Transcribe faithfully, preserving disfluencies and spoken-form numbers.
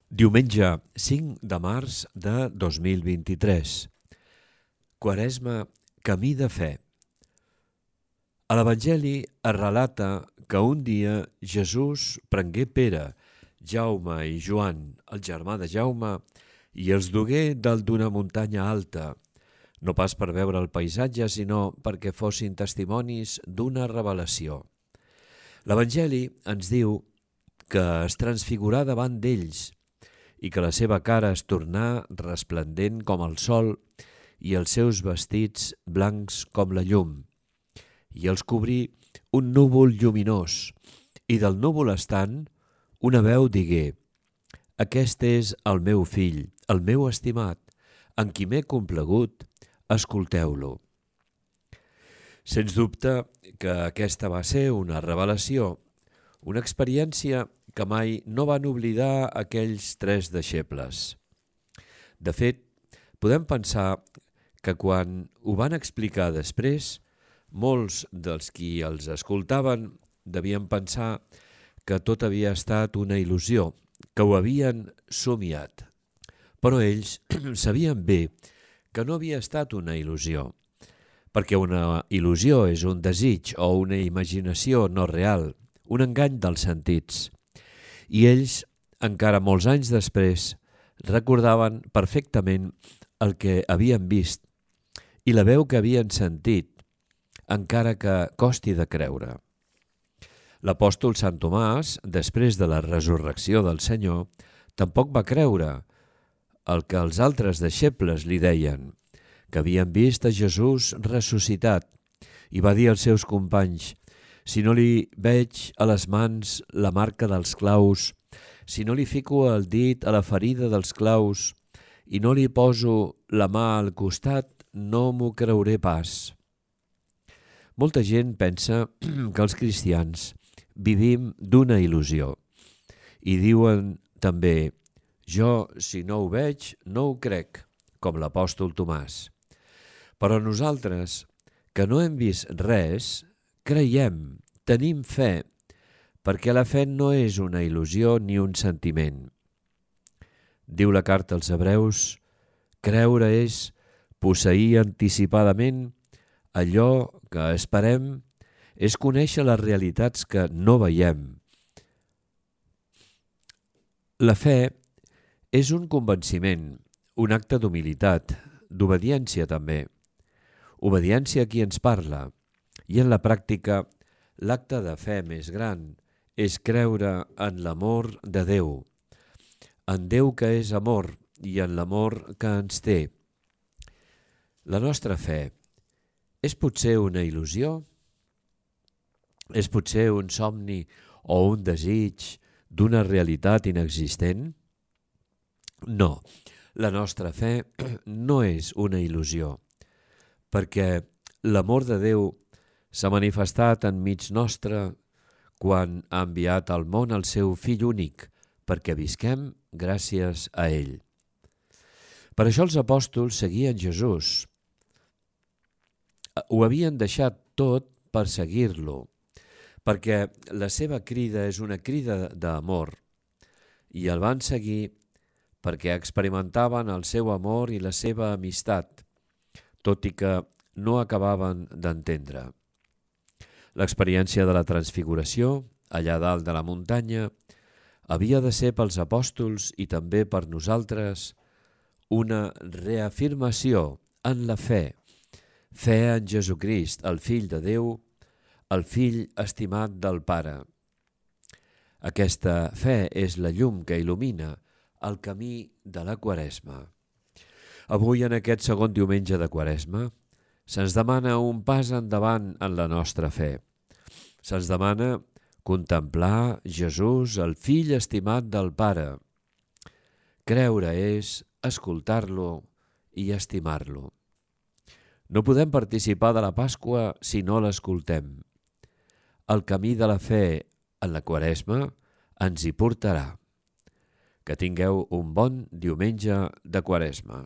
Diumenge cinc de març de dos mil vint-i-tres. Quaresma, camí de fe. A l'Evangeli es relata que un dia Jesús prengué Pere, Jaume i Joan, el germà de Jaume, i els dugué dalt d'una muntanya alta, no pas per veure el paisatge, sinó perquè fossin testimonis d'una revelació. L'Evangeli ens diu que es transfigurà davant d'ells i que la seva cara es tornà resplendent com el sol i els seus vestits blancs com la llum. I els cobrí un núvol lluminós, i del núvol estant una veu digué: «Aquest és el meu fill, el meu estimat, en qui m'he complagut, escolteu-lo». Sens dubte que aquesta va ser una revelació, una experiència que mai no van oblidar aquells tres deixebles. De fet, podem pensar que quan ho van explicar després, molts dels qui els escoltaven devien pensar que tot havia estat una il·lusió, que ho havien somiat. Però ells sabien bé que no havia estat una il·lusió, perquè una il·lusió és un desig o una imaginació no real, un engany dels sentits. I ells, encara molts anys després, recordaven perfectament el que havien vist i la veu que havien sentit, encara que costi de creure. L'apòstol Sant Tomàs, després de la resurrecció del Senyor, tampoc va creure el que els altres deixebles li deien, que havien vist a Jesús ressuscitat, i va dir als seus companys: «Si no li veig a les mans la marca dels claus, si no li fico el dit a la ferida dels claus i no li poso la mà al costat, no m'ho creuré pas». Molta gent pensa que els cristians vivim d'una il·lusió i diuen també: «Jo, si no ho veig, no ho crec», com l'apòstol Tomàs. Però nosaltres, que no hem vist res, creiem, tenim fe, perquè la fe no és una il·lusió ni un sentiment. Diu la carta als Hebreus: «Creure és posseir anticipadament allò que esperem, és conèixer les realitats que no veiem». La fe és un convenciment, un acte d'humilitat, d'obediència també. Obediència a qui ens parla. I en la pràctica, l'acte de fe més gran és creure en l'amor de Déu, en Déu que és amor i en l'amor que ens té. La nostra fe és potser una il·lusió? És potser un somni o un desig d'una realitat inexistent? No, la nostra fe no és una il·lusió, perquè l'amor de Déu s'ha manifestat enmig nostre quan ha enviat al món el seu fill únic, perquè visquem gràcies a ell. Per això els apòstols seguien Jesús. Ho havien deixat tot per seguir-lo, perquè la seva crida és una crida d'amor, i el van seguir perquè experimentaven el seu amor i la seva amistat, tot i que no acabaven d'entendre. L'experiència de la transfiguració, allà dalt de la muntanya, havia de ser pels apòstols i també per nosaltres una reafirmació en la fe, fe en Jesucrist, el Fill de Déu, el Fill estimat del Pare. Aquesta fe és la llum que il·lumina el camí de la Quaresma. Avui, en aquest segon diumenge de Quaresma, se'ns demana un pas endavant en la nostra fe. Se'ns demana contemplar Jesús, el Fill estimat del Pare. Creure és escoltar-lo i estimar-lo. No podem participar de la Pasqua si no l'escoltem. El camí de la fe en la Quaresma ens hi portarà. Que tingueu un bon diumenge de Quaresma.